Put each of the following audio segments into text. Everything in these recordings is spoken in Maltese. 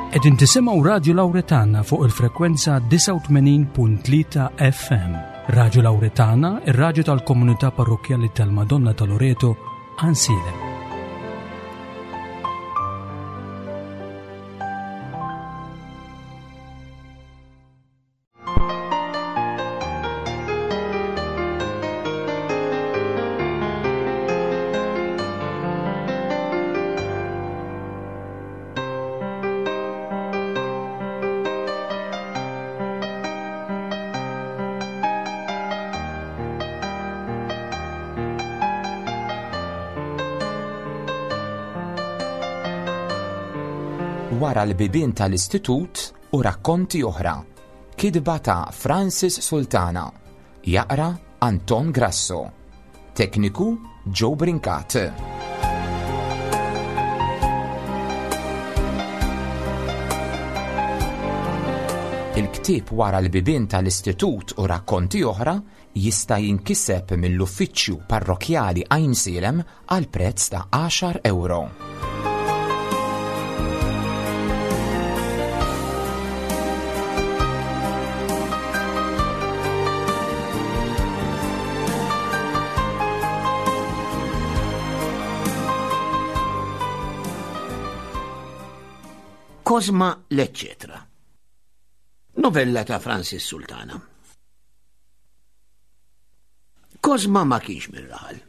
Qegħdin tisimgħu Radju Lawretana fuq il-frekwenza 89.3 FM. Radju Lawretana, ir-radju tal-komunità parrokkjali tal-Madonna ta' Loreto, Għansielem. Wara l-bibien tal-istitut u rakkonti oħra. Kitba ta' Francis Sultana. Jaqra Anton Grasso. Tekniku Joe Brincat. Il-ktieb Wara l-Bibien tal-Istitut u Rakkonti Oħra jista' jinkiseb mill-Uffiċċju Parrokkjali Għajnsielem għal prezz ta' għaxar ewro. Kozma l-Eċċetra. Novella ta' Francis Sultana. Kozma ma kienx mir-raħal.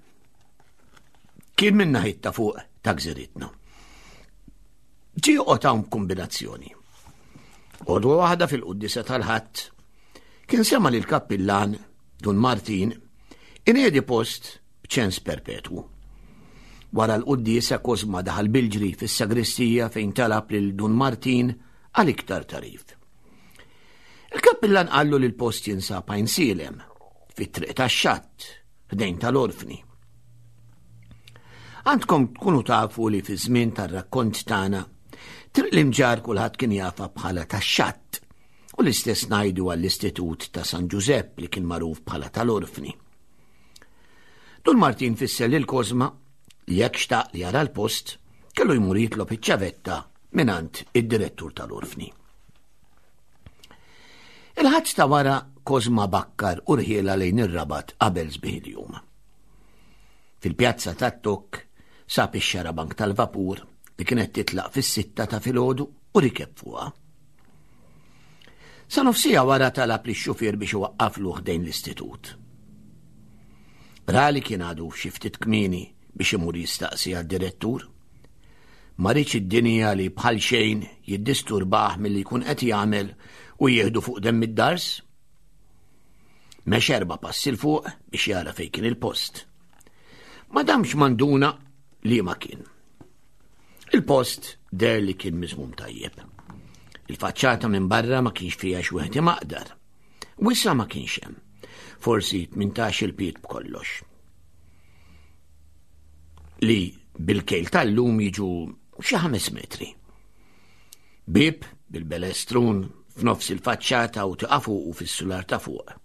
Kien minn naħit ta' fuq ta' gżiritna. Ġie joqgħod hawn b'kombinazzjoni. Għodwa waħda fil-quddisa tal-ħadd kien sema lil kappillan Dun Martin inedi post b'ċens perpetwu. Wara l-quddiesa Kozma daħal bil-ġri fis-sagristija fejn talab lil Dun Martin għal iktar tarif. Il-kappillan qallu li l-post jinsab Għajnsielem, fit-triq tax-xatt, ħdejn tal-orfni. Għandkom tkunu tafu li fi żmien tar-rakkont tagħna, triq l-imġar kulħadd kien jafa bħala tax-xatt u l-istess ngħidu għall-Istitut ta' San Ġużepp li kien magħruf bħala tal-orfni. Dun Martin fisser lil Kozma li jekk xtaq li jara l-post, kellu jmur jitlob iċ-ċavetta mingħand id-direttur tal-orfni. Il-ħadd ta' wara Kozma bakkar u rħiela lejn ir-Rabat qabel sbieħ il-jum. Fil-pjazza tat-Tokk sab ix-xarabank tal-vapur li kienet titlaq fis-sitta ta' filgħodu u rikeb fuqha. Sa nofsija wara talab li xufier biex iwaqqaflu ħdejn l-istitut. Ra li kien għadu xi ftit kmieni biex imur jistaqsi għad-direttur. Ma riedx id-dinja li bħal xejn jiddisturbah milli jkun qed jagħmel u jieħdu fuq demm id-dars. Mex erba' passi 'l fuq biex jara fejn kien il-post. Ma damx manduna li ma kien. Il-post der li kien miżmum tajjeb. Il-faċċata minn barra ma kienx fiha xi wieħed imaqdar. Wisa ma kienx hemm. Forsi 18 il-piet b'kollox. Li bil-kejl tal-lum jiġu xi ħames metri. Bib bil-belestrun f'nofs il-faċċata u tiqa' fuq u fis-sular ta' fuq.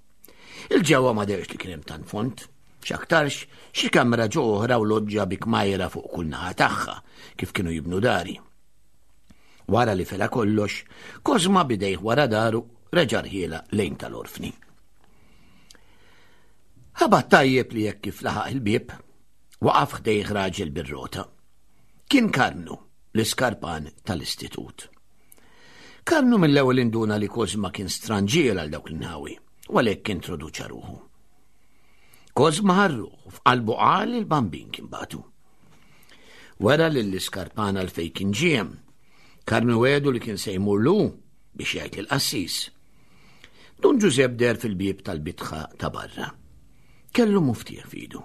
Il-ġewwa ma derx li kien hemm tant font, x'aktarx xi kamra ġo oħra u loġġa bi kmajra fuq kull naħa tagħha kif kienu jibnu dari. Wara li fela kollox, Kozma bidejh wara daru reġa' rħiela lejn tal-orfni. Ħabat tajjeb li jekk kif laħaq il-bieb, waqaf ħdejh raġel bir-rota. Kien Karmnu, l-iskarpan tal-istitut. Karmnu mill-ewwel induna li Kozma kien stranġier għal dawk l-inħawi, u għalhekk introduċa ruħu. Kozma ħarruħ u f'qalbu qal li l-bambin kien batu. Wera lill-iskarpan għal fejn kien ġiem. Karmnu għedu li kien se jmur lu biex jgħid lill-qassis. Dun Ġużepp deher fil-bieb tal-bitħa ta' barra. Kellu muftieħ f'idu.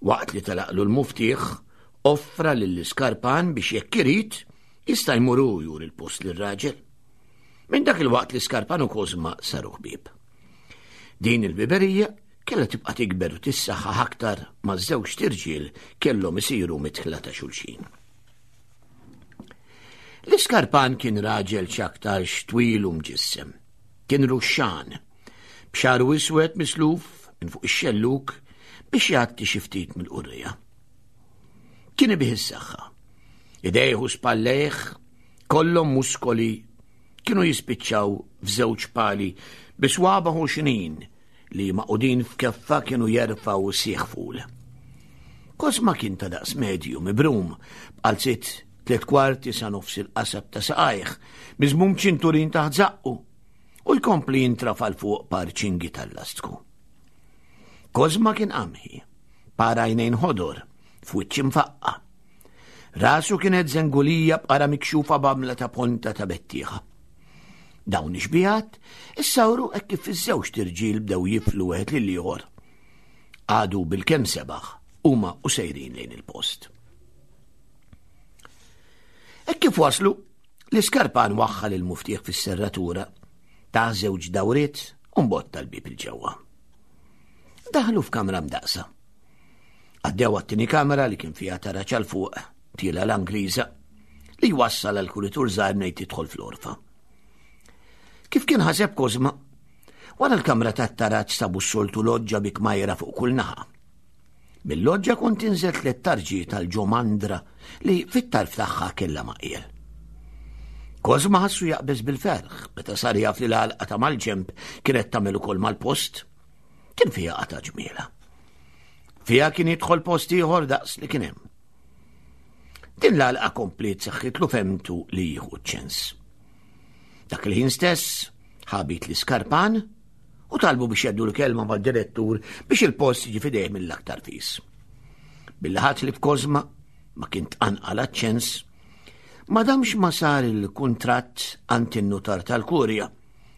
Waqt li telaqlu l-muftieħ, offra lill-iskarpan biex jekk irid jista' jmur hu juri l-post lir-raġel. Minn dak il-waqt l-iskarpan u Kozma saru ħbieb. Din il-biberija kellha tibqa' tikber u tissaħħaħ aktar ma' żewġt irġiel kellhom isiru midħla ta' xulxin. L-iskarpan kien raġel x'aktarx twil u mġissem. Kien ruxxan, b'xagħru iswed misluf minn fuq ix-xellug biex jgħatti xi ftit mill-qurrija. Kien ibih is-saħħa. Idejh u spallejh. Kollhom muskoli kienu jispiċċaw f'żewġ pali bi swaba ħoxnin li maqudin f'keffa kienu jerfgħu sieħ ful. Kosma kien ta' daqs medju mibrum b'qalziet tliet kwarti sa nofs il-qasab ta' saqajh, miżmum ċinturin taħt żaqqu u jkompli jintrafa' 'l fuq par ċingi tal-lastku. Kosma kien qamħi, par għajnejn ħodor, f'wiċċ imfaqqa'. Rasu kienet żengulija b'qara mikxufa b'għamla ta' ponta ta' bettieħa. Dawn ix-xbihat issawru hekk kif iż-żewġt irġiel bdew jiflu wieħed lil ieħor. Għadu bil-kemm sebaħ huma u sejrin lejn il-post. Hekk kif waslu, l-iskarpan waħħal il-muftieħ fis-serratura, ta' żewġ dawriet u mbotta l-bieb il-ġewwa. Daħlu f'kamra mdaqsa. Għaddew għat-tieni kamra li kien fiha taraġ għal fuq, tiela l-Angliża, li jwassal għal kuritur żgħir mnejn tidħol fl-orfa. Kif kien ħaseb Kozma, wara l-kamra tat-taraġ sabu s-soltu loġġa bi kmajra fuq kull naħa. Mill-loġġa kont tinżel tliet tarġi tal-ġomandra li fit-tarf tagħha kellha maqjel. Kozma ħassu jaqbeż bil-ferħ meta sar jaf li l-għalqa ta' mal-ġemp kienet tagħmel ukoll mal-post. Kien fiha qata' ġmiela. Fiha kien jidħol post ieħor daqs li kien hemm. Din l-għalqa kompliet saħħitlu femtu li jieħu ċens. Dak il-ħin stess ħabit l-iskarpan u talbu biex jaddu l-kelma mad-direttur biex il-post jiġi fidejh mill-aktar fis. Billi ħadd li f'Kozma ma kien tqanqal ċens, ma damx ma sar il-kuntratt għand in-nutar tal-kurja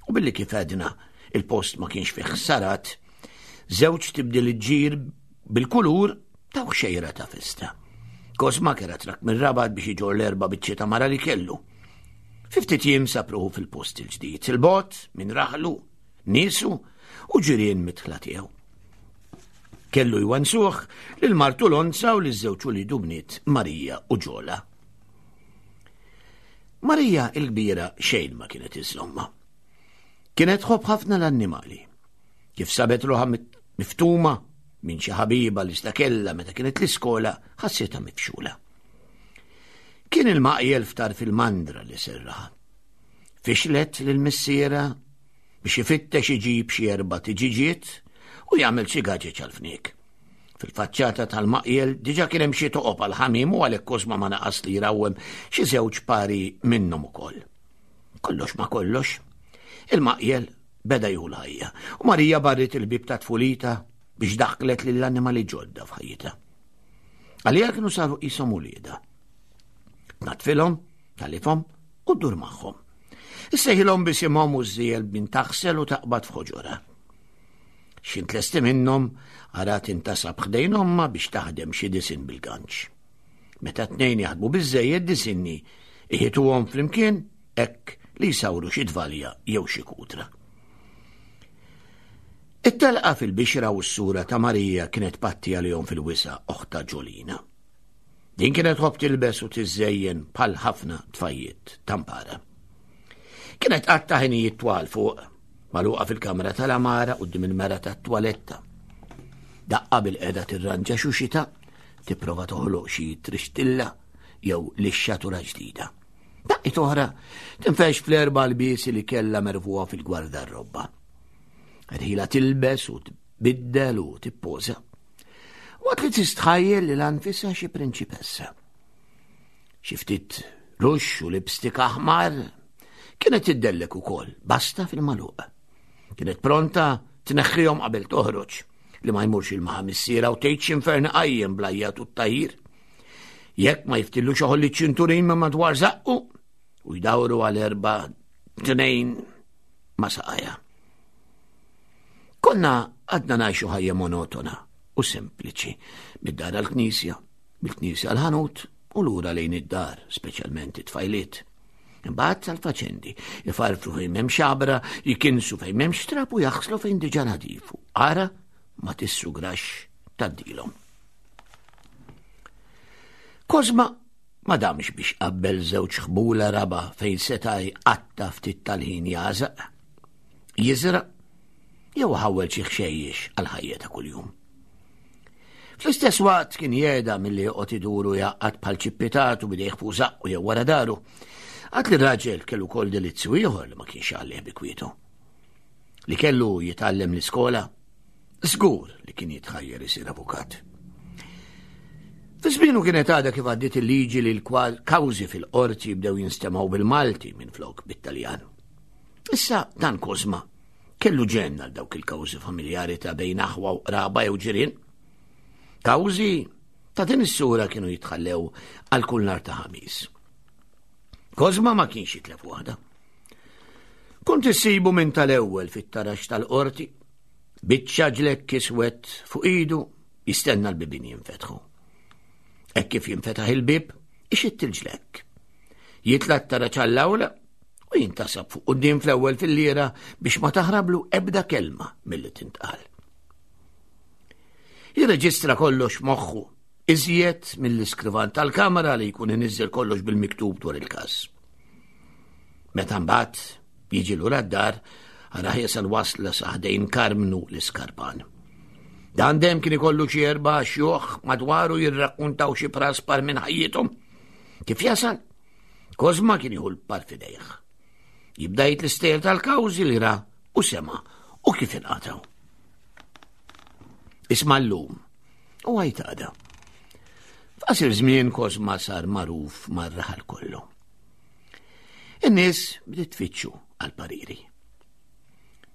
u billi kif għedna il-post ma kienx fih ħsarat, żewġ tibdil ġir bil-kulur taw xejra ta' festa. Kosma kera trak mir-rabat biex iġor l-erba biċċi ta' mara li kellu. Fiftit jiem sapruħu fil-post il-ġdid, il-bot minn raħlu, niesu u ġirien mitħla tiegħu. Kellu jwansuh lil martu Lonza u liż-żewġ ulidu bniet Marija u Ġola. Marija il-kbira xejn ma kienet iżżomma. Kienet tħobb ħafna l-annimali. Kif sabet ruħha miftuma minn xi ħabiba li stakella meta kienet l-iskola, ħassitha mifxula. Kien il-maqjel ftar fil-mandra li serraħa. Fixlet lil missiera biex ifittex iġib xi erba' tiġiġiet u jagħmel xi gaġeġ għal-fniek. Fil-faċċata tal-maqjel diġa kien hemm xi toqob għal ħamim u għalhekk Kosma ma naqas li jrawwem xi żewġ pari minnhom ukoll. Kollox ma kollox, il-maqjel beda jieħu l-ħajja u Marija barret il-bib ta' tfulita biex daħklet lill-annimali ġodda f'ħajjitha. Għalija kienu saru qishom uliedha. Tnatfilhom, talifhom u ddur magħhom. Issejħilhom bisimhom u żżiel bin taħsel u taqbad f'ħoġorha. X'int tlesti minnhom ara tintasab ħdejn omma biex taħdem xi disin bil-ganċ. Meta tnejn jaħdmu biżżejjed disinni iħituhom flimkien hekk li jsawru xi tvalja jew xi kutra. It-telqa fil-bixra u s-sura ta' Marija kienet patti għalihom fil-wisa oħta Ġolina. Din kienet tħobb tilbes u tiżżejjen bħal ħafna tfajjiet tampara. Kienet qatta ħinijiet twal fuq, magħluqa fil-kamra tal-amara quddiem il-mera tat-twaletta. Daqqa bil-qeda tirranġa xuxita, tipprova toħloq xi trixtilla jew lixxatura ġdida. Daqqiet oħra tinfex fl-erba' lbiesi li kellha merfuha fil-gwardarrobba. Rħila tilbes u tbiddel u tippoża. Waqt li tistħajjel li l-anfisha xi prinċipessa. Xi ftit ruxx u lipstick aħmar kienet tiddellek ukoll, basta fil-maluq. Kienet pronta tneħħihom qabel toħroġ li ma jmurx il-maħa missiera u tgħid x'infern qajjem blajjat u t-tajir. Jekk ma jiftillux oħolli ċinturin ma madwar zaqqu u jdawru għal erba' tnejn ma saqajja. Konna għadna ngħixu ħajja monotona u sempliċi, mid-dar għall-knisja, mill-knisja għall-ħanut u lura lejn id-dar, speċjalment it-tfajliet. Imbagħad tal-faċendi, ifarfru fejn m'hemm xabra, jikinsu fejn m'hemmx trab u jaħslu fejn diġà nadifu. Ara ma tissugrax taddilhom. Kozma ma damx biex qabbel żewġ ħbula raba fejn seta' jqatta' ftit tal-ħin jażaq. Jiżra' jew ħawwel xi ħxejjex għall-ħajja ta' kuljum. Fl-istess waqt kien jeda milli joqgħod iduru jgħaqqad bħal ċippitatu bidejh fuq żaqqu jew wara daru. Għad li raġel kellu kol delizzju ieħor li ma kienx għalih bi kwietu. Li kellu jitgħallem l-iskola, żgur li kien jitħajjer isir avukat. Fi żmienu kienet għadha kif għaddiet il-liġi li l-kawżi fil-qorti bdew jinstemgħu bil-Malti minn flok bit-Taljan. Issa dan Kozma kellu ġenn għal dawk il-kawżi familjari ta' bejn aħwa u qraba jew ġirien. Kawżi ta' din is-sura kienu jitħallew għal kull nar ta' ħamis. Kozma ma kienx jitlef waħda. Kont issibu minn tal-ewwel fit-tarax tal-qorti, biċċa ġlekk iswed fuq idu jistenna l-bibien jinfetħu. Hekk kif jinfetaħ il-bib, ixitt il-ġlekk. Jitla t-taraġ għall-awla u jintasab fuq quddiem fl-ewwel fil-lira biex ma taħrablu ebda kelma milli tintqal. Jirreġistra kollox moħħu iżjed mill-iskrivan tal-kamra li jkun iniżżel kollox bil-miktub dwar il-każ. Meta mbagħad jiġi lura d-dar, araħ jasal wasla sa ħdejn Karmnu l-iskarpan. Dan dem kien ikollu xi erba' xjuħ madwaru jirrakkuntaw xi praspar minn ħajjithom. Kif jasal? Kozma kien jieħu l-par fidejh. Jibda jgħid l-istejjer tal-kawżi li ra u sema u kif inqataw. Isma' llum u għajt għada. F'qasir żmien Kozma sar magħruf mar-raħal kollu. In-nies bdiet tfittxu għal pariri.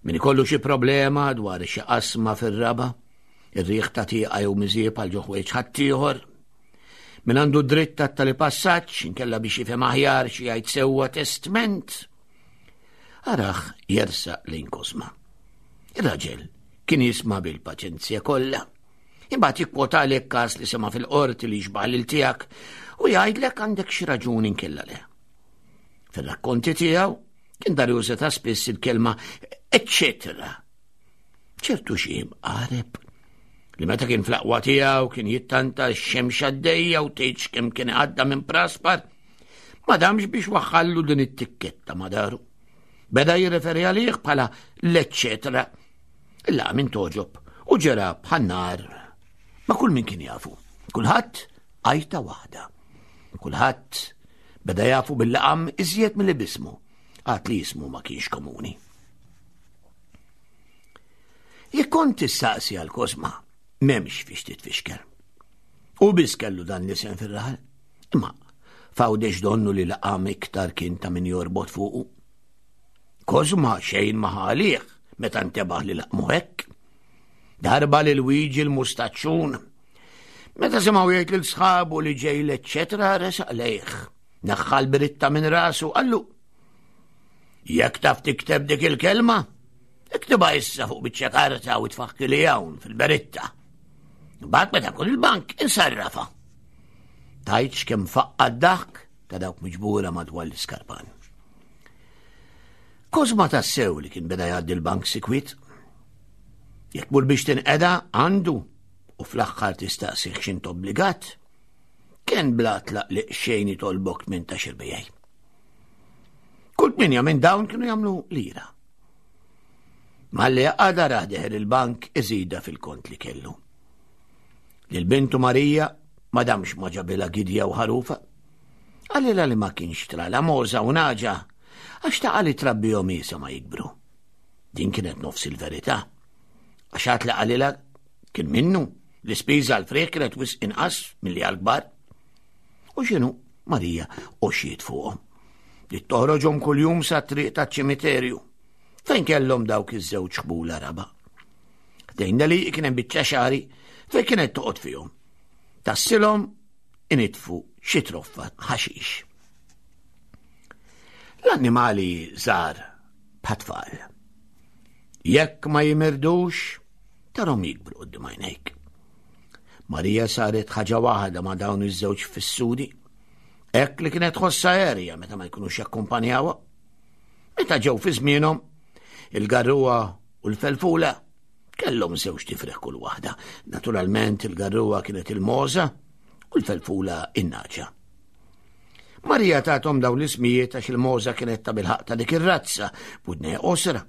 Min ikollu xi problema dwar xi qasma fir-raba, ir-riħ ta' tieqa jew miżieb għal ġoħwejġ ħaddieħor, min għandu dritt ta' tali passaġġ inkella biex jifhem aħjar xi jgħid sewwa testment, araħ jersaq lejn Kosma. Ir-raġel kien jisma' bil-paċenzja kollha. Imbagħad jikkwotalek każ li sema' fil-qorti li jixbaħ lil tiegħek u jgħidlek għandek xi raġuni nkella le. Fir-rakkonti tiegħu kien dar juża ta' spiss il-kelma eċċetera. ċertu xi qareb li meta kien fl-aqwa tiegħu kien jittanta x-xemx għaddejja u tgħidx kemm kien għadda minn praspar, ma damx biex waħħallu din it-tikketta ma daru. Beda jirreferi għalih bħala l-eċċetera. Illa minn toġob u ġera bħan-nar ma' kull min kien jafu. Kulħadd għajta waħda. Kulħadd beda jafu bil-laqam iżjed mill bismu, għad li jismu ma kienx komuni. Jekk kont tistaqsi għal Kosma, m'hemmx fiex titfixkel. U biss kellu dan l-isem fir-raħal. Imma fawdex donnu li laqam iktar kien ta' min jorbot fuqu. Kosma xejn ma ħalih meta ntebaħ li laqmu hekk. Darba lil Luigi l-mustaċċun. Meta semgħu jgħid lil sħabu li ġej l-eċċetra resaq lejh. Naħħal biritta minn rasu qallu. Jekk taf tikteb dik il-kelma, iktibha issa fuq biċċa karta u tfaħki li hawn fil-beritta. Mbagħad meta kun il-bank insarrafa. Tajtx kemm faqqa d-daħk ta' dawk miġbura madwar l-iskarpan. Kozma tassew li kien beda jgħaddi l-bank sikwit. Jekk mur biex tinqeda għandu u fl-aħħar tistaqsih x'int obbligat, kien bla tlaq li xejn jitolbok minn ta' xirbijaj. Kull tminja minn dawn kienu jagħmlu lira. Malli għada raħ deher il-bank iżida fil-kont li kellu. Lil bintu Marija ma damx ma ġabilha gidja u ħarufa. Qalilha li ma kienx trala moża u naġa għax taqa li trabbihom isa ma jikbru. Din kienet nofs il-verità. Għax għat li qalilha kien minnu l-ispiża għal-frieħ kienet wisq inqas milli għal-kbar. U x'inhu Marija għoxiet fuqhom. Li toħroġhom kuljum sa triq taċ-ċimiterju. Fejn kellhom dawk iż-żewġ ħbula raba. Ħdejna li kien hemm biċċa xari fejn kienet toqgħod fihom. Tassilhom initfu xi troffa ħaxix. L-annimali żgħar bħat-tfal. Jekk ma jimirdux, tarhom jikbru quddiem għajnejk. Marija saret ħaġa waħda ma' dawn iż-żewġ fissuri, hekk li kienet tħossha erja meta ma jkunux jakkumpanjawha. Meta ġew fi żmienhom, il-garruwa u l-felfula kellhom żewġ tifreħ kull waħda. Naturalment il-garruwa kienet il-moża u l-felfula in-naġa. Marija tathom dawn l-ismijiet għax il-moża kienet ta' bilħaq ta' dik ir-razza b'udnejha qosra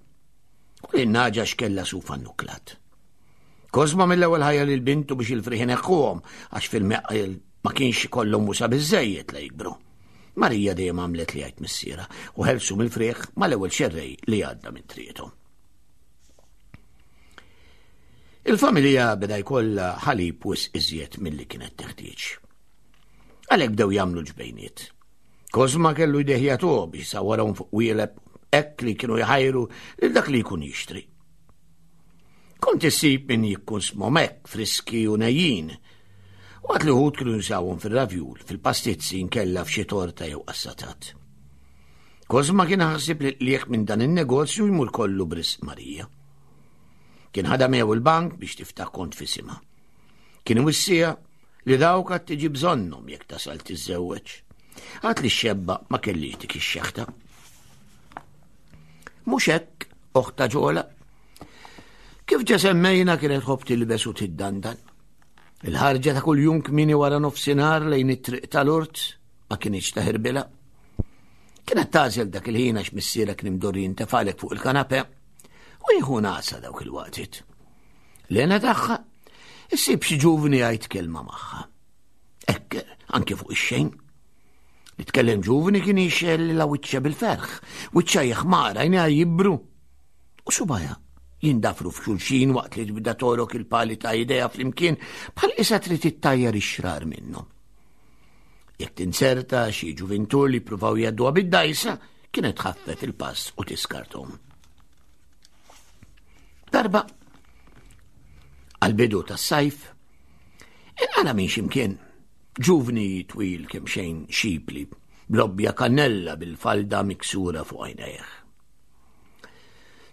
u l-naġa x'kella sufa nuklat. Kozma mill-ewwel ħajja lil bintu biex il-frieħ ineħħuhom għax fil-meqqel ma kienx ikollhom wusa biżejjed la jikbru. Marija dejjem għamlet li jgħid missiera u ħelsu mill-frieħ mal-ewwel xerrej li għadda minn triqthom. Il-familja beda jkollha ħalib wisq iżjed milli kienet teħtieġ. Għalhekk bdew jagħmlu ġbejniet. Kozma kellu jdejh jagħtuh biex sawarhom fuq wieleb hekk li kienu jħajru lil dak li jkun jixtri. Kont issib min jikkunsmhom hekk friski u nejjin. Waqt li wħud kienu jużawhom fir-ravjul, fil-pastizzi nkella f'xi torta jew qassatat. Kozma kien ħasib li qliegħ minn dan in-negozju jmur kollu b'risq Marija. Kien ħadha miegħu il-bank biex tiftaħ kont f'isimha. Kien wissija li dawk għad tiġi bżonnhom jekk tasal tiżżewweġ. Għad li x-xebba ma kellix dik ix-xeħta. Mhux hekk, oħta ġola. Kif ġa semmejna kienet ħobb tilbes u tiddandan. Il-ħarġa ta' kuljum kmini wara nofsinhar lejn it-triq tal-urt ma kienx taħirbilha. Kienet tażel dak il-ħin għax missiera kien imdorri jintefalek fuq il-kanape u jieħu nasa dawk il-waqtiet. Lena tagħha issib xi ġuvni jgħid kelma magħha. Ekk, anke fuq ix-xejn. Li tkellem ġuvni kien jixxel la wiċċa bil-ferħ, wiċċa jeħmar, għajnejha jibru. U subaja jindafru f'xulxin waqt li tbda torok il-pali ta' idea flimkien bħal isa trid ittajjar ix-xrar minnhom. Jekk tinserta xi ġuvintur li pruvaw jgħadduha bid-dajsa, kienet tħaffef il-pass u tiskarthom. Darba, għal-bidu tas-sajf, inqala minn ximkien ġuvni twil kemm xejn xipli, blobbja kannella bil-falda miksura fuq għajnejh.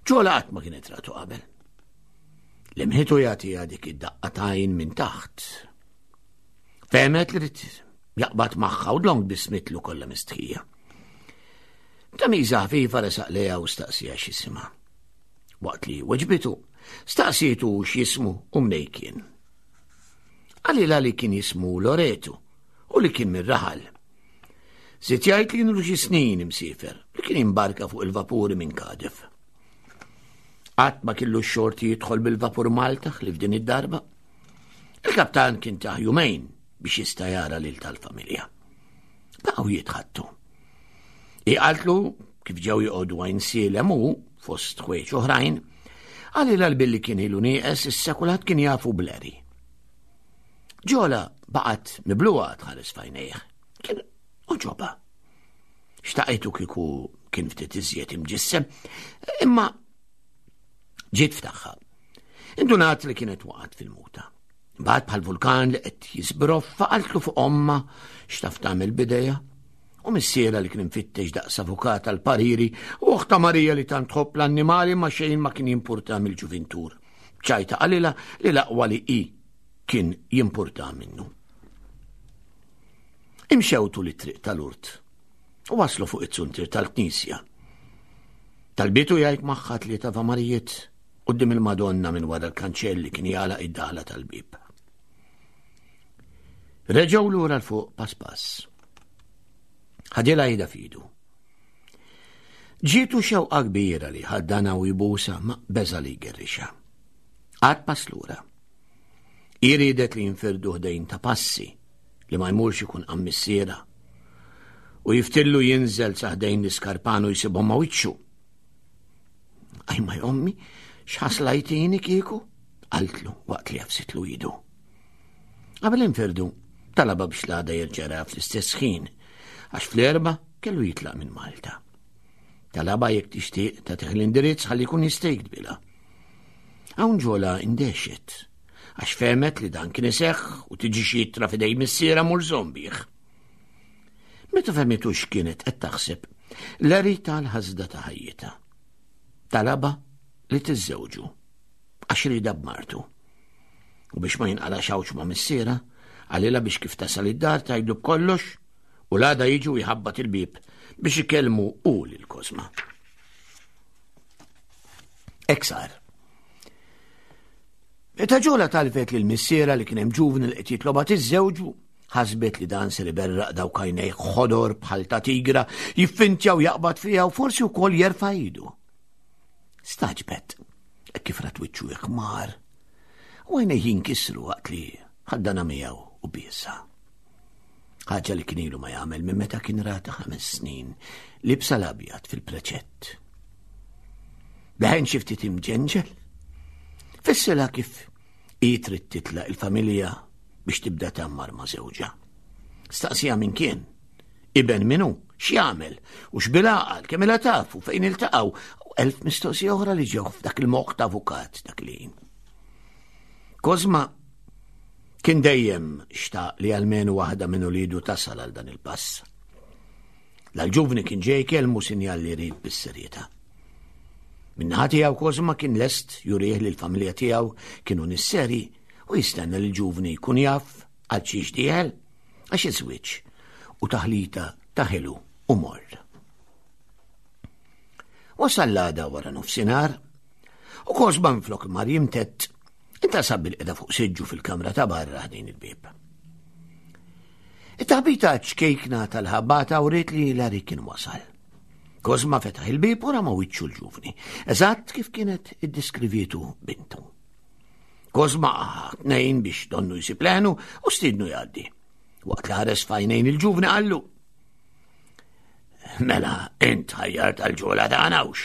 Ġola qatt ma kienet ratu qabel. L-imħitu jagħtiha dik id-daqqa tajn minn taħt. Fehmet li rid jaqbad magħha u dlonk bismitlu kollha mistħija. Ta' miża ħafifa resaq lejha u staqsija x'jisimha. Waqt li weġbitu, staqsietu x'jismu u mnej kien. Qalilha li kien jismu Loretu u li kien mir-raħal. Żied jgħid li kienu xi snin imsiefer li kien imbarka fuq il-vapuri minn Cardiff. Qatt ma kellu x-xorti jidħol bil-vapur Malta li f'din id-darba. Il-kaptan kien taħ jumejn biex jista' jara lil tal-familja. Baqgħu jitħattu. I qaltlu kif ġew joqogħdu għajn sielem u fost ħwejġ oħrajn, għalilha l-billi kien ilu nieqes issa kulħadd kien jafu bleri. Ġola baqgħet mibluha tħares f'għajnejh. Kien oġoba. Xtaqajtu kieku kien ftit iżjed imġissem, imma ġiet ftaħħa. Indunat li kienet waqgħet fil-muta. Mbagħad bħal vulkan li qed jiżbroffa qaltlu fuq omma x'taf tagħmel bidejha u missiera li kien imfittex daqs avukat għal pariri u oħta Marija li tant tħobb l-annimali ma xejn ma kien jimpurta mill-ġuvintur. Ċajta qalilha li l-aqwa li hi kien jimpurta minnu. Imxew tul it-triq tal-urt u waslu fuq it-suntir tal-knisja. Talbitu jgħid magħha tlieta vamarijiet quddiem il-Madonna minn wara l-kanċell li kien jagħlaq id-daħla tal-bieb. Reġgħu lura l fuq pass pass. Ħadilha ida fidu. Ġietu xewqa kbira li ħaddana u jbusa ma beża li jgerrixa. Għad pass lura. Iridet li jinfirdu ħdejn ta' passi li ma jmurx ikun qammissiera. U jiftillu jinżel sa ħdejn l-iskarpanu jsibhom ma' wiċċu. Ajma jommi, x'ħaslajtini kieku? Qaltlu waqt li għafsitlu idu. Qabel infirdu, talaba biex l-għada jerġa' fl-istess ħin, għax fl-erba kellu jitlaq minn Malta. Talaba jekk tixtieq tagħtih l-indirizz ħalli jkun jista' jiktbilha. Hawn ġola indexet, għax fehmet li dan kien iseħħ u tiġi xi ittra f'idej missiera mur żombih. Meta fehmitu x'kienet qed taħseb, Larry tal-ħasda ta' ħajjitha. Talaba li tiżżewġu għax rida b'martu. U biex ma jinqala xawċ ma' missiera, qalilha biex kif tasal id-dar tgħidlu b'kollox u l-għada jiġu jħabbat il-bieb biex ikellmu u lil Kozma. Hekk sar. Meta ġola talbet lil missiera li kien hemm ġuvni li qed jitloba tiżżewġu, ħasbet li dan ser iberraq dawk għajnejh ħodor bħal ta' tigra, jiffintja u jaqbad fiha u forsi wkoll jerfa' idu. Staġbet, kif rat wiċċu iħmar, u għajnejh jinkisru waqt li ħaddana miegħu u biesa. Ħaġa li kien ilu ma jagħmel minn meta kien rata ħames snin libsa l-abjad fil-preċett. Beħen xi ftit imġenġel. Fissela kif hi trid titlaq il-familja biex tibda tammar ma' żewġha. Staqsija min kien, iben minu, x'jagħmel, u x'bilaqal, kemm ilha tafu, fejn iltaqgħu, u elf mistoqsija oħra li ġew f'dak il-moħħ ta' avukat dak li. Kozma kien dejjem xtaq li almenu waħda minn ulidu tasal għal dan il-pass. L-ġuvni kien ġej kelmu sinjal li jrid bis-serjetà. Min-naħa tiegħu Kozma kien lest jurih li l-familja tiegħu kienu nisseri u jistenna li l-ġuvni jkun jaf għal xiex dieħel għax iż-żwieġ u taħlita ta' ħelu u morr. Wasal l-għada wara nofsinhar u Kozma minflok mar jimtett intasab bil-qeda fuq siġġu fil-kamra ta' barra ħdejn il-bieb. It-taħbita ċkejkna tal-ħabata uriet li Larry kien wasal. Kozma fetaħ il-bieb u rama wiċċu l-ġuvni, eżatt kif kienet iddiskrivietu bintu. Kozma tnejn biex donnu jsib leħnu u stidnu jgħaddi. Waqt li ħares fajnejn il-ġuvni qallu. Mela, int ħajjar tal-ġola tagħna hux.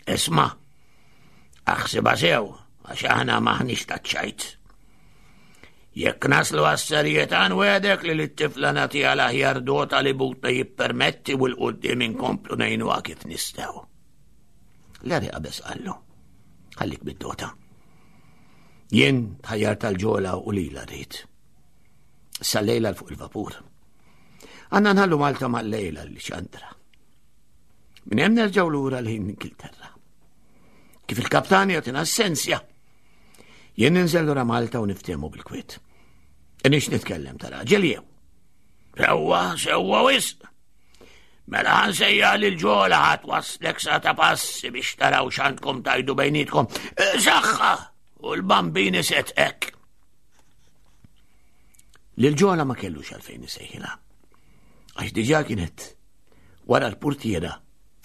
Isma', aħsibha sew, għax aħna maħniex taċ-ċajt. Jekk naslu għas-serjetà nwegħdek li lit-tifla nagħtiha l-aħjar dota li butna jippermetti u l-qudiem inkomplu ngħinuha kif nistgħu. Larry qabeż qallu. Ħallik bid-dota. Jien tħajjar tal-ġola u lila rrid. Sa lejla fuq il-vapur. Għanna nħallu Malta mal-lejla li ċandra. Minn hemm nerġgħu lura lejn Ingilterra. Kif il-kaptan jagħtina s-sensja, jien ninżel lura Malta u niftehmu bil-kwiet. Inix nitkellem ta' raġel jew. Sewwa, sewwa wisq. Mela ħansejja li l-ġola ħat waslek sa ta' passi biex taraw x'għandkom tajdu bejnietkom. Eh, saħħa u l-bambini setqek. Lil ġola ma kellux għalfejn isejħilha. Għax diġà kienet wara l-purtiera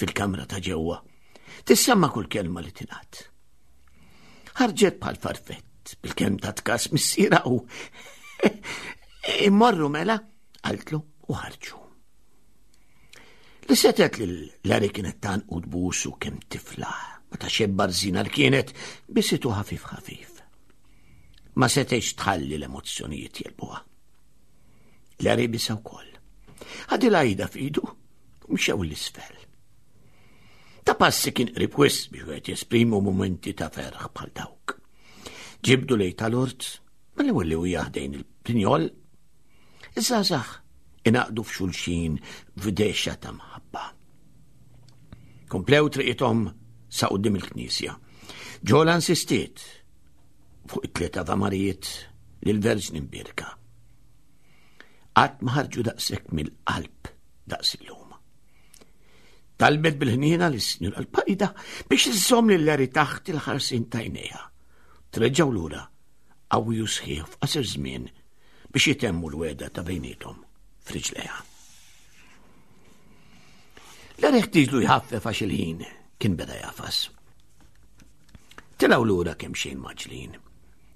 fil-kamra ta' ġewwa. Tissemma kull kelma li tingħad. Ħarġet bħal farfett bil-kemm ta' tkas missiera u immorru mela qaltlu u ħarġu. Li setet li Larry kienet tan u tbusu kemm tifla, ma ta' xebba rżina li kienet bisitu ħafif ħafif. Ma setgħetx tħalli l-emozzjonijiet jelbuha. Larry bisa wkoll. Ħadilha ida f'idu u mxew l-isfel. Ta' passi kien qrib wisq biex wieħed jesprimu mumenti ta' ferħ bħal dawk. Ġibdu lej tal-ort, mal-ewwel li huja ħdejn il-prinjol, iż-żgħażagħ inaqdu f'xulxin f'dehxa ta' mħabba. Komplew triqithom sa quddiem il-knisja. Ġola insistiet fuq it-tliet avamarijiet lil Verġni Mbierka. Qatt ma ħarġu daqshekk mill-qalb daqs illum. Talbet bil-ħniena lis-Sinjura l-Pajda biex iżżomm lil Larry taħt il-ħarsin tajnejha. Treġgħu lura qawwi u sħiħ f'qasir żmien biex jitemmu l-wegħda ta' bejniethom f'riġlejha. Larry ħtieġlu jħaffef għax il-ħin kien beda jafas. Tilgħu lura kemm xejn maġlin.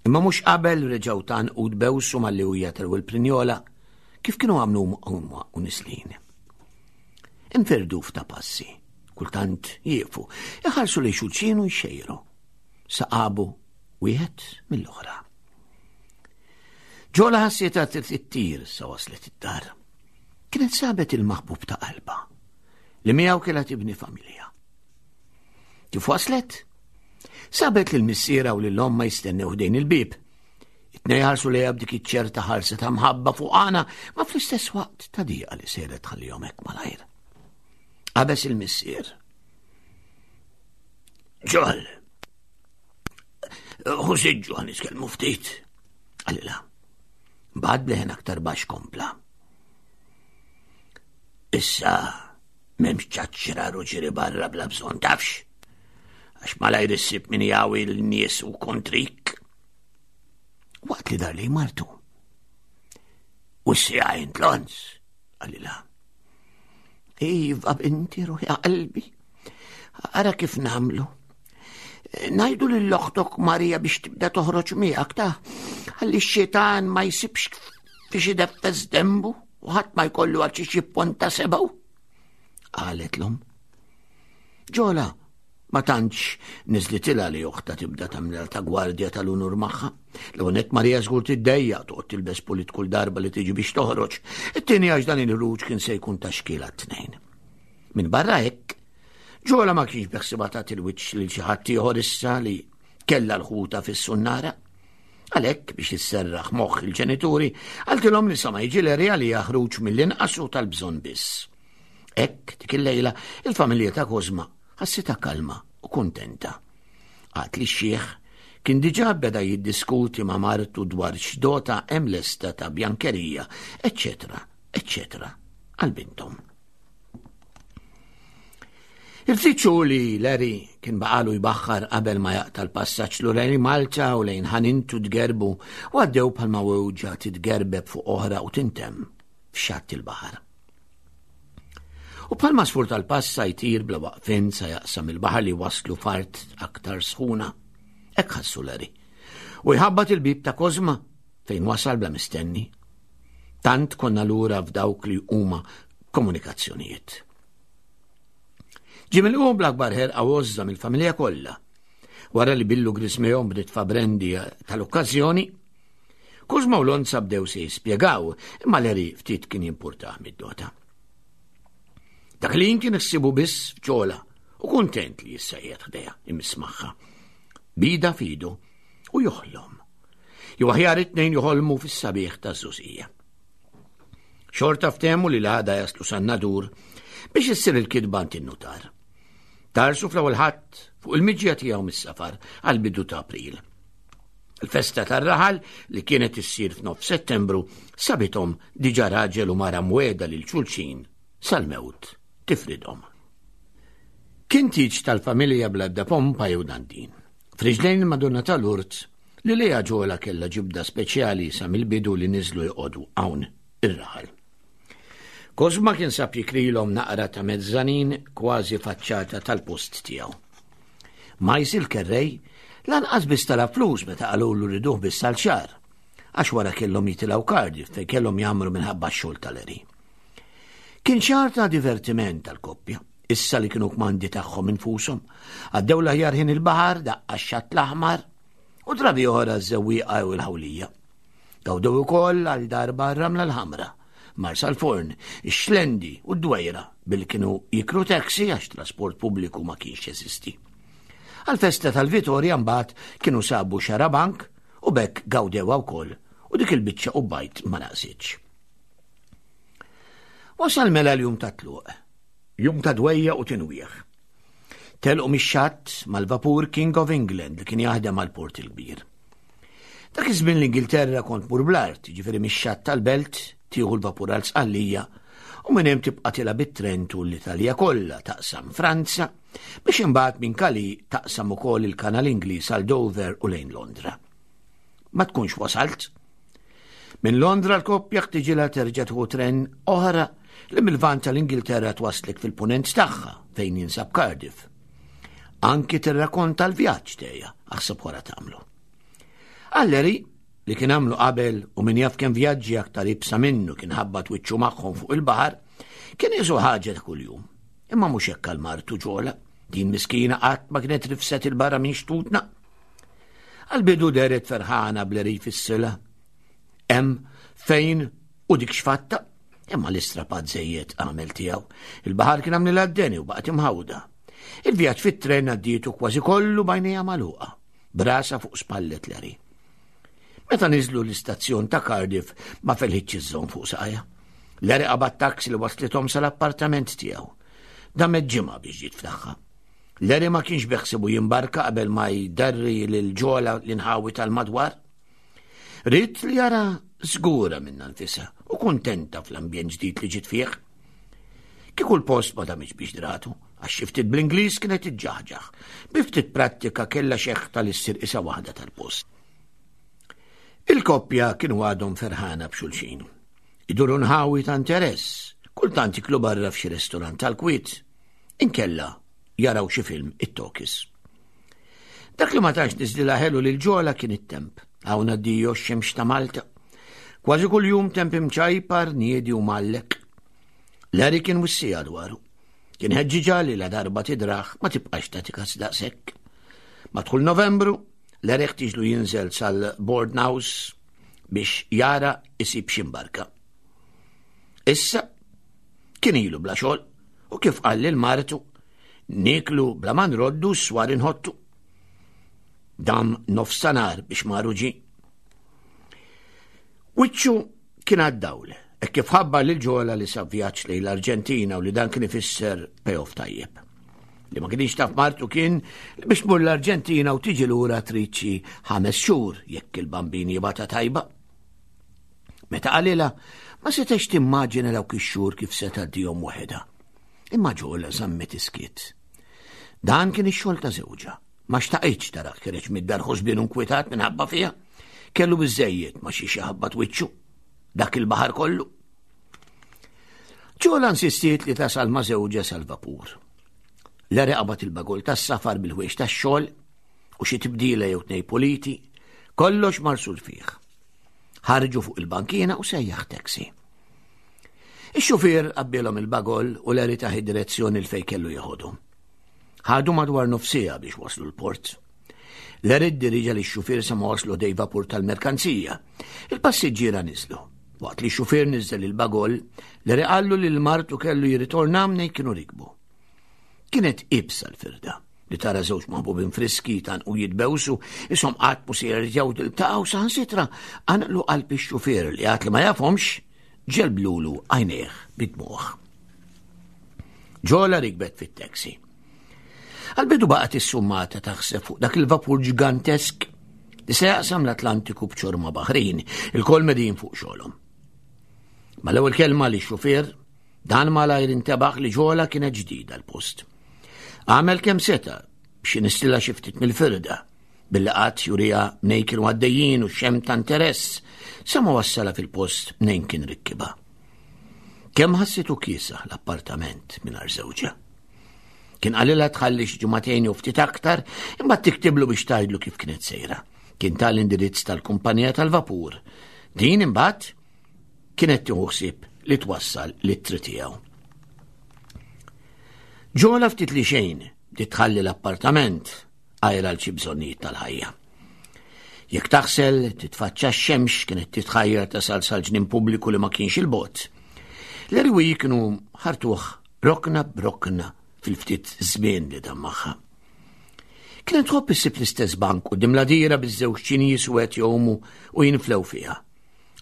Imma mhux qabel reġgħu tan u tbewsu malli u jatelwu l-prinjola kif kienu għamlu huma u nislin. Infirdu f'ta' passi, kultant jieqfu, iħarsu li xulxin u jxejru. Saqabu wieħed mill-oħra. Ġola ħassietha tittir sa waslet id-dar. Kienet sabet il-maħbub ta' qalba li miegħu kellha tibni familja. Kif waslet? Sabet lil missiera u lil omma jistennew ħdejn il-bieb. It-tnejn ħarsu lejha b'dik iċ-ċerta ħarsa ta' mħabba fuq għana, ma fl-istess waqt ta' diqa li sejret tħallihom hekk malajr. Qabeż il-missier. Ġol, hu siġġu għan nitkellmu ftit. Għalila. Bad bleħen aktar baxx kompla. Issa M'hemmx ċaċċrar u ġiri barra bla bżonn tafx. Għax malajr issib min jawi l-nies u kontrik. Waqt li dar li martu. U s-sija tlons, għalila. Iva binti ruħi qalbi. Ara kif namlu. Najdu lil oħtok Marija biex tibda toħroġ miegħek ta' ħalli x-xitan ma jsibx fiex ideffes dembu. u ħadd ma jkollu għal xi jipponta sebgħu. Qalet l-omm. Ġola ma tantx niżlitilha li oħta tibda tagħmilha ta' gwardja tal-unur magħha. L-ewwel Marija żgur tiddejjaq toqgħod tilbes pulit kull darba li tiġi biex toħroġ. It-tieni għax dan il-ħruġ kien se jkun ta' xkiel għat-tnejn. Minn barra hekk, Ġola ma kienx beħsiba tagħti l-wiċċ lil xi ħadd ieħor issa li kellha l-ħuta fis-sunnara. Għalhekk biex isserraħ moħħ il-ġenituri, qaltilhom li sa ma jiġi Larry għaliha ħruġ mill-inqas u tal-bżonn biss. Hekk dik il-lejla il-familja ta' Kozma ħassitha kalma u kuntenta. Għad li x-xiħ kien diġà beda jiddiskuti ma' martu dwar x'dota hemm lesta ta' bjankerija, eċċetera, eċċetera, għal binthom. Il-ftit xhur li Larry kien baqalu jbaħħar qabel ma jaqta' l-passaġġ lura lejn Malta u lejn ħanintu tgerbu u għaddew bħalma wewġa titgerbeb fuq oħra u tintemm f'xatt il-baħar. U bħalma sfur tal-passa jtir bla waqfin sa jaqsam il-baħar li waslu fart aktar sħuna. Hekk ħassu Larry. U jħabbat il-bib ta' Kozma fejn wasal bla mistenni. Tant konna lura f'dawk li huma komunikazzjonijiet. Ġie milqugħ bl-akbar ħerqa u għożża mill-familja kollha. Wara li billu grismejhom b'nitfa brendi tal-okkażjoni, Kuzma u Lonza bdew se jispjegaw, imma Larry ftit kien jimpurtah mid-dota. Dak li kien ħsibu biss f'ġola u kuntent li issa qiegħed ħdejha imiss magħha. Bida fidu u joħlom. Jew aħjar it-tnejn joħolmu fis-sabiħ taż-żużija. Xorta ftehmu li l-għada jaslu san-Nadur biex issir il-kitba għand in-nutar. Tarsu fl-ewwel ħadd fuq il-miġja tiegħu mis-safar għall-bidu ta' April. Il-festa tar-raħal li kienet issir f'nof Settembru sabithom diġà raġel u mara mweda lil xulxin sal-mewt tifridhom. Kien tieġ tal-familja bla ebda pompa jew dandin. F'riġlejn il-Madonna ta' Lourdes li lejha Ġola kellha ġibda speċjali sa mill-bidu li niżlu joqogħdu hawn ir-raħal. Kosma kien sab jikrilhom naqra ta' mezzanin kważi faċċata tal-post tiegħu. Majs il-kerrej lanqas biss tala flus meta qalulu riduh biss għal xahar, għax wara kellhom jitilgħu Cardiff fejn kellhom jagħmlu minħabba x-xogħol tal-eri. Kien xahar ta' divertiment tal-koppja, issa li kienu kmandi tagħhom infushom. Għaddew l-aħjar ħin il-baħar, daqqa x-xatt l-aħmar, u drabi oħra ż-żewwieqa jew il-ħawlija. Gawdew ukoll għal darba r-ramla l-ħamra, Marsa l-Forn, ix-Xlendi u d-Dwejra billi kienu jikru taxi għax trasport pubbliku ma kienx jeżisti. Għal-festa tal-Vitorja mbagħad kienu sabu xarabank u bekk gawdewha wkoll u dik il-biċċa u bajt ma naqsitx. Wasal mela l-jum ta' tluq, jum ta' dwejja u tinwieħ. Telqu mix-xatt mal-vapur King of England li kien jaħdem għal Port il-Kbir. Dak iż-żmien l-Ingilterra kont mur bl-art, ġifieri mix-xatt tal-belt tieħu l-vapur għal Sqallija u minn hemm tibqa' tilha bit-tren tul l-Italja kollha taqsam Franza biex imbagħad minn Calais taqsam ukoll il-Kanal Ingliż għal Dover u lejn Londra. Ma tkunx wasalt. Minn Londra l-koppja ħtiġilha terġa' tieħu tren oħra li mill-Lvant tal-Ingilterra twasslek fil-punent tagħha fejn jinsab Cardiff. Anki tirrakonta l-vjaġġ tejja, aħseb wara tagħmlu. Alleri, li kien għamlu qabel u min jaf kemm vjaġġi aktar ibsa minnu kien ħabbat wiċċu magħhom fuq il-baħar, kien isu ħaġa ta' kuljum. Imma mhux hekk għal martu ġola, din miskina qatt ma kienet rifset il-barra minn xtutna. Għal-bidu deret ferħana bl-erif is-sila. Hemm fejn u dik xfatta, imma l-istrapat żejjed għamel tiegħu. Il-baħar kien għamlilha d-deni u baqgħet imħawda. Il-vjaġġ fit-tren għaddietu kważi kollu bajnejha magħluqa, brasa fuq spallet Larry. Meta niżlu l-istazzjon ta' Cardiff ma felħitx iżżomm fuq saqajha. Larry qabad taxi li waslithom sal-appartament tiegħu. Damet ġimgħa biex ġiet f'tagħha. Larry ma kienx beħsibu jimbarka qabel ma jdarri lil ġola l-inħawi tal-madwar. Ried li jara żgura minnha nfisha u kuntenta fl-ambjent ġdid li ġiet fih. Kieku l-post ma damitx biex dratu, għax xi ftit bl-Ingliż kienet iġġaħġaħ. Bi ftit prattika kellha xeħta li ssir isa waħda tal-post. Il-koppja kienu għadhom ferħana b'xulxin. Iduru nħawi ta' interess, kultant jiklu barra f'xi restorant tal-kwiet, inkella jaraw xi film it-tokis. Dak li ma tantx niżlilha ħelu lil ġola kien it-temp. Hawn addio x-xemx ta' Malta. Kważi kuljum temp imċajpar, niedi u mgħallek. Larry kien wissija dwaru. Kien ħeġġiġha li la darba tidraħ ma tibqax tagħti kas daqshekk. Madħul Novembru, Larry ħtieġlu jinżel sal-Board House biex jara isib xi mbarka. Issa kien ilu bla xogħol u kif qal lil martu niklu bla ma nroddu s-swar inħottu. Dam nofsanar biex maru ġi. Wiċċu kien għad-dawl, hekk kif ħabbar lil Ġola li sab vjaġġ lejn l-Arġentina u li dan kien ifisser payoff tajjeb. Li ma kienx taf martu kien li biex tmur l-Arġentina u tiġi lura trid xi ħames xhur jekk il-bambin jibgħatha tajba. Meta qalilha, ma setgħetx timmaġina dawk ix-xhur kif se tgħaddihom waħedha. Imma Ġola żammet iskiet. Dan kien ix-xogħol ta' żewġha. Ma xtaqitx tarak ħireġ mid-dar ħosbien u nkwitat minħabba fiha. Kellu biżejjed ma xi ħabbat wiċċu. Dak il-baħar kollu. Ġola insistiet li tasal ma' żewġha sal-vapur. Lere qabad il-bagol tas-safar bil-ħwiex tax-xogħol u xi tibdila jew tnej puliti, kollox marsul fih. Ħarġu fuq il-bankina u sejjaħ taxi. Ix-xufier qabbilhom il-bagol u Larry taħ id-direzzjoni l fej kellu jeħodhom. Ħadu madwar nofsija biex waslu l-port. Larry ddiriġa li x-xufier sa ma waslu dej vapur tal-merkanzija. Il-passiġġiera niżlu. Waqt li x-xufier niżel il-bagol, Larry qallu li l-martu kellu jirritorna mnej kienu rikbu. Kienet ibsa l-firda li tara żewġ maħbubin friski tan u jitbewsu, isom qatt mu se jerġgħu tiltaqgħu saħansitra qanqlu qalb ix-xufier li għad li ma jafhomx ġelblulu għajnejh bid-dmugħ. Ġola rikbet fit-taxi. Għal-bidu baqgħet issummata taħseb fuq dak il-vapur ġigantesk li se jaqsam l-Atlantiku b'ċorma baħrin, il-kol medin fuq xogħolhom. Mal-ewwel kelma li xufier, dan malajr intebaħ li ġola kienet ġdida l-post. Għamel kemm seta biex nistilla xi ftit mill-firda, billi qatt jurija mnejn kienu għaddejjin u xem ta' interess, sa ma wassala fil-post mnejn kien rikkiba. Kemm ħassitu kiesaħ l-appartament mingħajr żewġha. Kien qalilha tħalli xi ġimagħtejn jew ftit aktar, imbagħad tiktiblu biex tgħidlu kif kienet sejra. Kien tal-indirizz tal-kumpanija tal-vapur. Din imbagħad kienet tieħu ħsieb li twassal l-ittri tiegħu. Ġola ftit li xejn bdiet tħalli l-appartament għajr għal xi bżonnijiet tal-ħajja. Jekk taħsel, titfaċċa x-xemx kienet titħajjar tasal sal-ġnien pubbliku li ma kienx il-bot. L-erwi kienu ħartuh rokna b'rokna fil-ftit żmien li dam magħha. Kienet tħobb issib l-istess bank quddiem l-għadira biż-żewġ ċinji suwed jgħumu u jinflew fiha.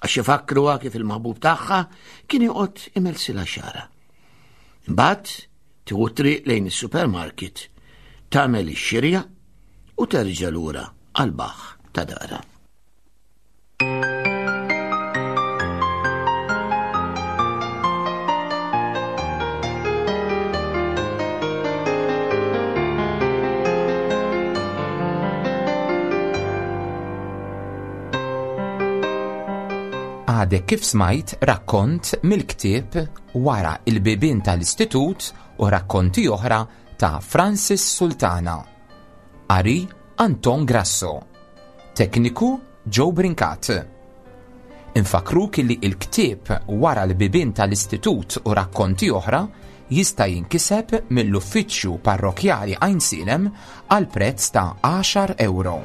Għax ifakkruha kif il-maħbub tagħha kien joqgħod imelsilha xara. Imbagħad tieħu triq lejn is-supermarket, tagħmel ix-xirja u terġa' lura għall-baħħ ta' darha. Għadek kif smajt rakkont mill-ktieb Wara il-bibien tal-Istitut u rakkonti oħra ta' Francis Sultana. Qari Anton Grasso. Tekniku Joe Brincat. Infakruk li il-ktieb Wara l-bibien tal-Istitut u rakkonti oħra jista' jinkiseb mill-Uffiċċju Parrokkjali Għajnsielem għal prezz ta' 10 ewro.